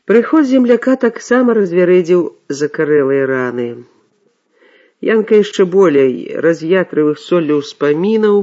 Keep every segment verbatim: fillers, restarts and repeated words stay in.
Прыход земляка таксама развярэдзіў закарэлыя раны. Янка яшчэ болей раз'ятрыў іх соллю ўспамінаў,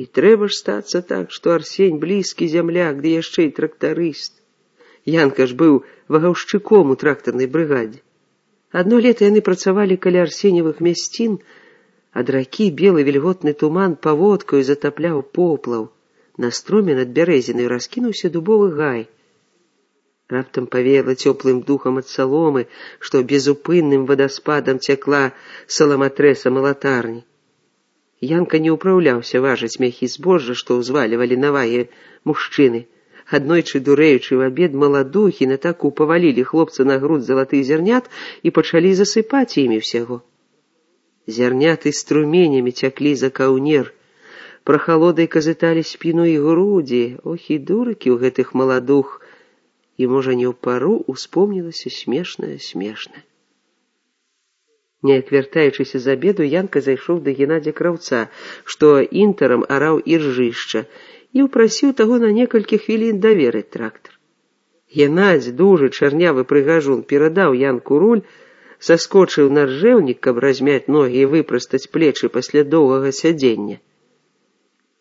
і трэба ж стацца так, што Арсень блізкі зямляк, ды яшчэ і трактарыст. Янка ж быў вагаўшчыком у трактарнай брыгадзе. Адно лета яны працавалі каля арсеневых мясцін, ад ракі белы вільготны туман паводкаю затапляў поплаў. На строме над бярэзінай раскінуўся дубовы гай. Раптам павеяла цёплым духам ад саломы, што безупынным вадаспадам цякла саламатрэса малатарні. Янка не ўпраўляўся важыць мяхі збожжа, што ўзвалівалі на вагі мужчыны. Аднойчы, дурэючы ў абед, маладухі на таку павалілі хлопца на груд залатых зярнят і пачалі засыпаць імі ўсяго. Зярняты струменямі цяклі за каўнер, прахалодай казыталі спіну і грудзі. Ох, і дурыкі ў гэтых маладух, і, можа, не ў пару успомнілася смешнае-смешнае. Неяк вяртаючыся з абеду, Янка зайшоў да Геннадзя Краўца, што інтарам араў іржышча, і ўпрасіў таго на некалькі хвілін даверыць трактар. Геннадзь, дужы, чарнявы прыгажун, перадаў Янку руль, саскочыў на ржэўнік, каб размяць ногі і выпрастаць плечы пасля доўгага сядзення.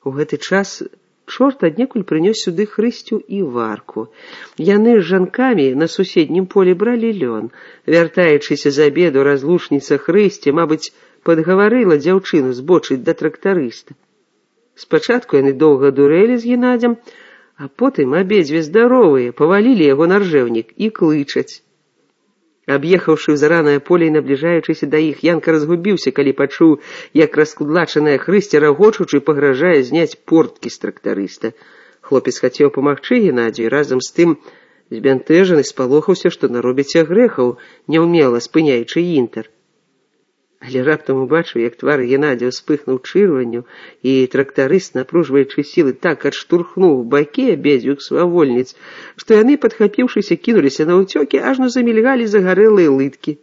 У гэты час чорт аднекуль прынёс сюды Хрысцю і Варку. Яны з жанкамі на суседнім полі бралі лён. Вяртаючыся з абеду, разлучніца Хрысці, мабыць, падгаварыла дзяўчыну збочыць да трактарыста. Спачатку яны доўга дурэлі з Геннадзем, а потым абедзве здаровыя павалілі яго на ржэўнік і клычаць. Аб'ехаўшы ў заранае поле і набліжаючыся да іх, Янка разгубіўся, калі пачуў, як раскудлачаная Хрысця, рагочучы, пагражае зняць порткі з трактарыста. Хлопец хацеў памагчы Геннадзю і разам з тым збянтэжаны спалохаўся, што наробіцца грэхаў, няўмела спыняючы інтар. Але раптам убачыў, як твар Геннадзя ўспыхнуў чырванню, і трактарыст, напружваючы сілы, так адштурхнуў бакі абедзвюх свавольніц, што яны, падхапіўшыся, кінуліся на ўцёкі, ажно замільгалі загарэлыя лыткі.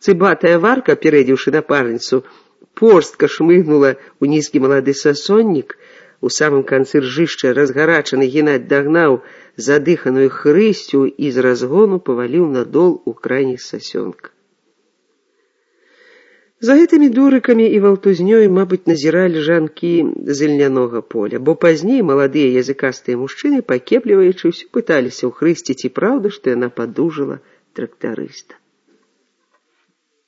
Цыбатая Варка, апярэдзіўшы напарніцу, порстка шмыгнула ў нізкі малады сасоннік. У самым канцы ржышча разгарачаны Геннадзь дагнаў задыханую Хрысцю і з разгону паваліў надол у крайні сасёнка. За гэтымі дурыкамі і валтузнёй, мабыць, назіралі жанкі з ільнянога поля, бо пазней маладыя языкастыя мужчыны, пакепліваючы, ўсё пыталіся ў Хрысці, ці праўда, што яна падужала трактарыста.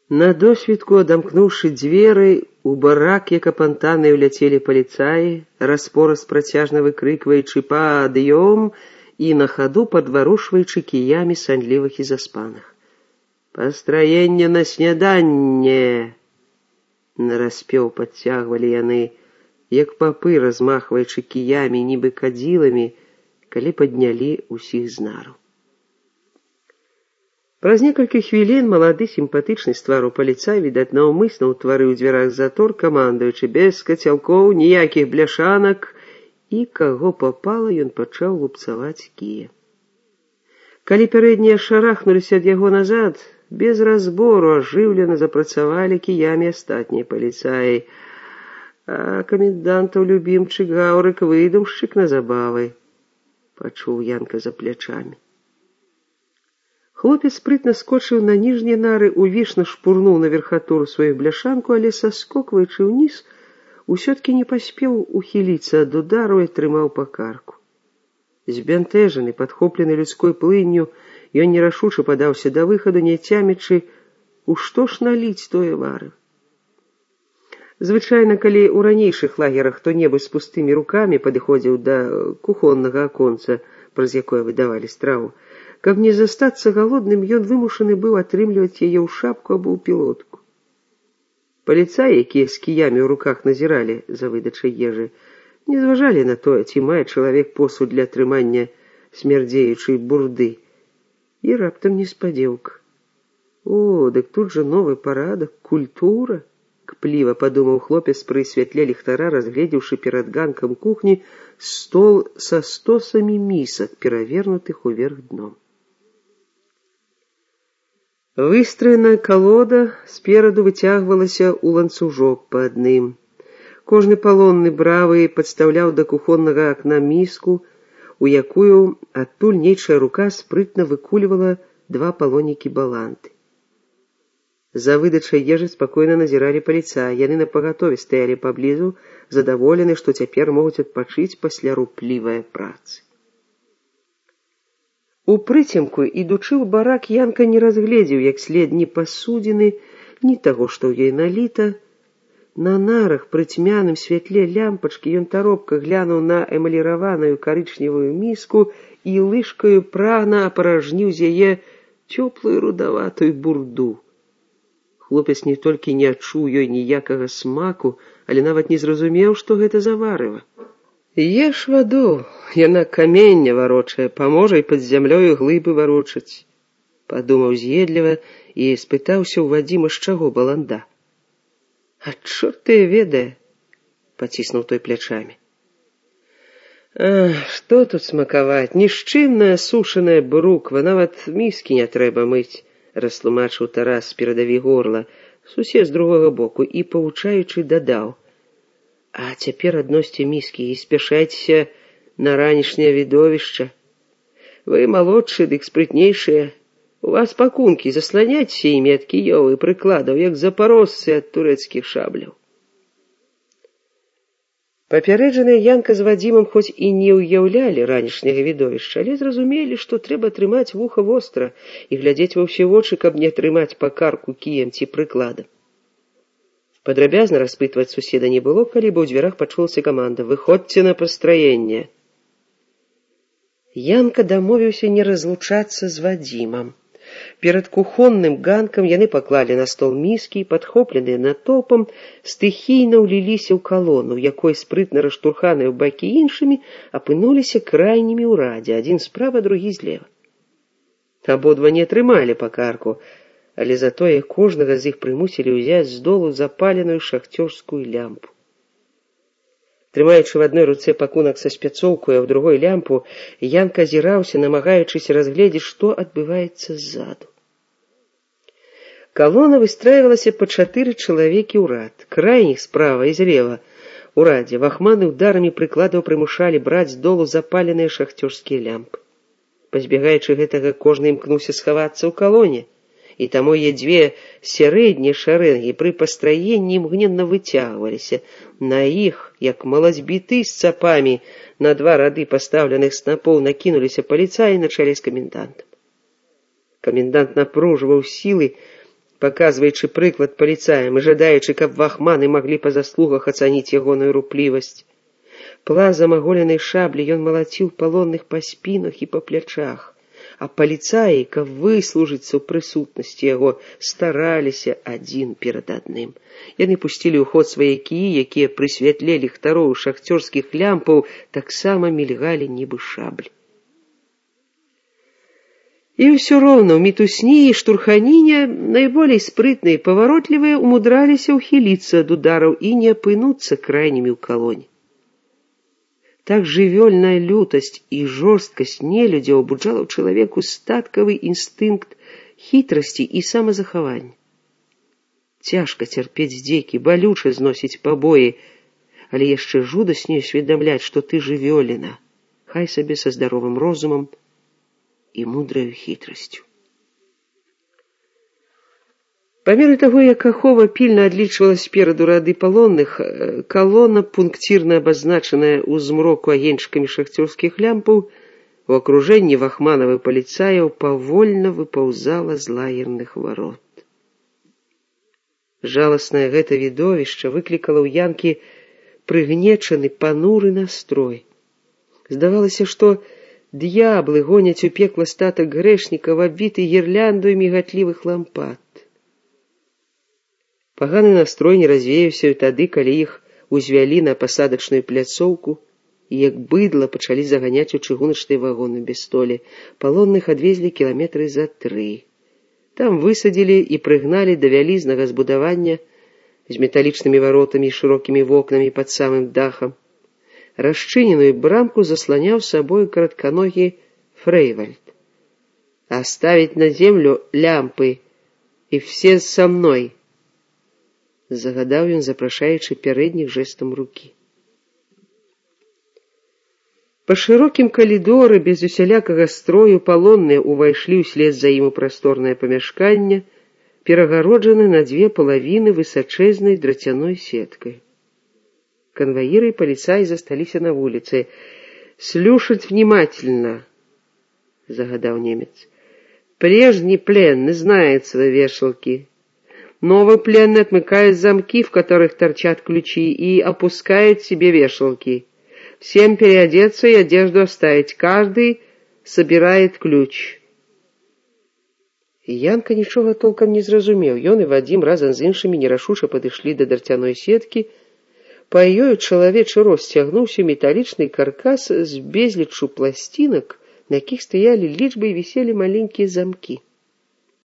На досвідку, адамкнуўшы дзверы, у барак, як апантаныя, уляцелі паліцаі, распораст працяжна выкрыкваючы «Пад'ём» і на хаду падварушваючы кіямі санлівых і заспаных. «Пастраенне на сняданне!» Нараспеў падцягвалі яны, як папы, размахваючы кіямі, нібы кадзіламі, калі паднялі ўсіх з нару. Праз некалькі хвілін малады сімпатычны з твару паліцай, відаць, наўмысна ўтварыў у дзвярах затор, камандуючы без кацялкоў, ніякіх бляшанак, і каго папала, ён пачаў лупцаваць кія. Калі пярэднія шарахнуліся ад яго назад, без разбору ажыўлена запрацавалі кіямі астатнія паліцаі, а камендантаў любімчык гаўрык выдумшчык на забавы, пачуў Янка за плячамі. Хлопец спрытна скочыў на ніжнія нары, увішна шпурнуў на верхатуру сваю бляшанку, але, саскокваючы ўніз, усё-ткі не паспеў ухіліцца ад удару і атрымаў па карку. Збянтэжаны, падхоплены людской плынню, ён нерашуча падаўся да выхаду, не цямячы, у што ж наліць тое вары. Звычайна, калі ў ранейшых лагерах хто-небудзь з пустымі рукамі падыходзіў да кухоннага аконца, праз якое выдавалі страву, каб не застацца галодным, ён вымушаны быў атрымліваць яе ў шапку або ў пілотку. Паліцаі, якія з кіямі ў руках назіралі за выдачай ежы, не зважалі на тое, ці мае чалавек посуд для атрымання смярдзеючай бурды. І раптам неспадзеўка. О, дык тут жа новы парадак, культура, кпліва падумаў хлопец пры святле ліхтара, разгледзеўшы перад ганкам кухні стол са стосамі місак, перавернутых уверх дном. Выстроеная калода спераду выцягвалася ў ланцужок па адным. Кожны палонны бравы падстаўляў да кухоннага акна міску, у якую адтуль нейчая рука спрытна выкульвала два палонікі баланды. За выдачай ежы спакойна назіралі паліцаі. Яны напагатове стаялі паблізу, задаволены, што цяпер могуць адпачыць пасля руплівай працы. У прыцемку, ідучы ў барак, Янка не разгледзеў як след ні пасудзіны, ні таго, што ў ёй наліта. На нарах пры цьмяным святле лямпачкі ён таропка глянуў на эмаліраваную карычневую міску і лыжкаю прагна апаражніў з яе цёплую рудаватую бурду. Хлопец не толькі не адчуў ёй ніякага смаку, але нават не зразумеў, што гэта за варыва. Еш ваду, яна каменне варочае, паможа і пад зямлёю глыбы варочаць, падумаў з'едліва і спытаўся ў Вадзіма, з чаго баланда. А чорт ты ведае, паціснуў той плячамі. А, што тут смакаваць, нішчымная сушаная бруква, нават міскі не трэба мыць, растлумачыў Тарас, перадаві горла, сусед з другога боку, і, павучаючы, дадаў. А цяпер адносьце міскі і спяшайцеся на ранішняе відовішча. Вы малодшыя, дык спрытнейшыя. У вас пакункі, засланяйцеся імі ад кіёў і прыкладаў, як запарожцы ад турэцкіх шабляў. Папярэджаныя Янка з Вадзімам хоць і не ўяўлялі ранішняга відовішча, але зразумелі, што трэба трымаць вуха востра і глядзець ва ўсе вочы, каб не атрымаць па карку кіем ці прыкладам. Падрабязна распытваць суседа не было, калі бы ў дзвярах пачулася каманда «Выходзьце на пастраенне». Янка дамовіўся не разлучацца з Вадзімам. Перад кухонным ганкам яны паклалі на стол міскі і, падхопленыя натоўпам, стыхійна ўліліся ў калону, якой спрытна раштурханыя ў бакі іншымі апынуліся крайнімі ў радзе, адзін справа, другі злева. Абодва не атрымалі па карку, але затое кожнага з іх прымусілі ўзяць з долу запаленую шахцёрскую лямпу. Трымаючы в адной руцэ пакунак са спяцоўкаю, а ў другой лямпу, Янка азіраўся, намагаючыся разгледзець, што адбываецца ззаду. Калона выстраивалася па чатыры чалавекі ў рад, крайніх справа і злева. У радзе вахманы ударамі прыкладаў прымушалі браць з долу запаленыя шахцёрскія лямпы. Пазбегаючы гэтага, кожны імкнуўся схавацца ў калоне, і таму е дзве сярэднія шарэнгі пры пастраенні імгненна выцягваліся. На іх, як малазьбіты з цапамі, на два рады пастаўленых снапоў накінуліся паліцаі на чале з камендантам. Камендант напружваў сілы, паказваючы прыклад паліцаям і жадаючы, каб вахманы маглі па заслугах ацаніць ягоную руплівасць. Плазам аголенай шаблі ён малаціў палонных па спінах і па плячах, а паліцаі, каб выслужыцца ў прысутнасці яго, стараліся адзін перад адным. Яны пусцілі ў ход свае кіі, якія пры святле ліхтароў шахцёрскіх лямпаў таксама мільгалі нібы шаблі. І ўсё роўна ў мітусні і штурханіне найболей спрытныя і паваротлівыя умудраліся ўхіліцца ад удараў і не апынуцца крайнімі ў калоне. Так жывёльная лютасць і жорсткасць нелюдзяў абуджала ў чалавеку статкавы інстынкт хітрасці і самазахавання. Цяжка цярпець здзекі, балюча зносіць пабоі, але яшчэ жудасней усведамляць, што ты жывёліна, хай сабе са здаровым розумам і мудраю хітрасцю. Па меры таго, як ахова пільна адлічвала спераду рады палонных, калона, пункцірна абазначаная ў змроку агеньчыкамі шахцёрскіх лямпаў, у акружэнні вахманавых паліцаяў павольна выпаўзала з лагерных варот. Жаласнае гэта відовішча выклікала ў Янкі прыгнечаны, пануры настрой. Здавалася, што д'яблы гоняць у пекла статак грэшнікаў, абвіты гірляндою мігатлівых лампад. Паганы настрой не развеяўся і тады, калі іх узвялі на пасадачную пляцоўку і як быдла пачалі заганяць у чыгуначныя вагоны без столі. Палонных адвезлі кіламетры за тры. Там высадзілі і прыгналі да вялізнага збудавання з металічнымі варотамі і шырокімі вокнамі пад самым дахам. Расчыненую брамку засланяў сабою каратканогі Фрейвальд. «Оставить на землю лямпы, і все со мной», загадаў ён, запрашаючы пярэдніх жэстам рукі. Па шырокім калідоры без усялякага строю палонныя ўвайшлі ўслед за ім у прасторнае памяшканне, перагароджаны на дзве палавіны высачэзнай драцяной сеткай. Конвоиры и полицаи застались на улице. «Слушать внимательно», — загадал немец. «Прежний пленный знает свои вешалки. Новый пленный отмыкает замки, в которых торчат ключи, и опускает себе вешалки. Всем переодеться и одежду оставить. Каждый собирает ключ». Янка нічога толком не зразумеў. Ён і Вадзім разам з іншымі нерашуча падышлі да драцяной сеткі. Па ёю чалавечы рост цягнуўся металічны каркас з безліччу пласцінак, на якіх стаялі лічбы і віселі маленькія замкі.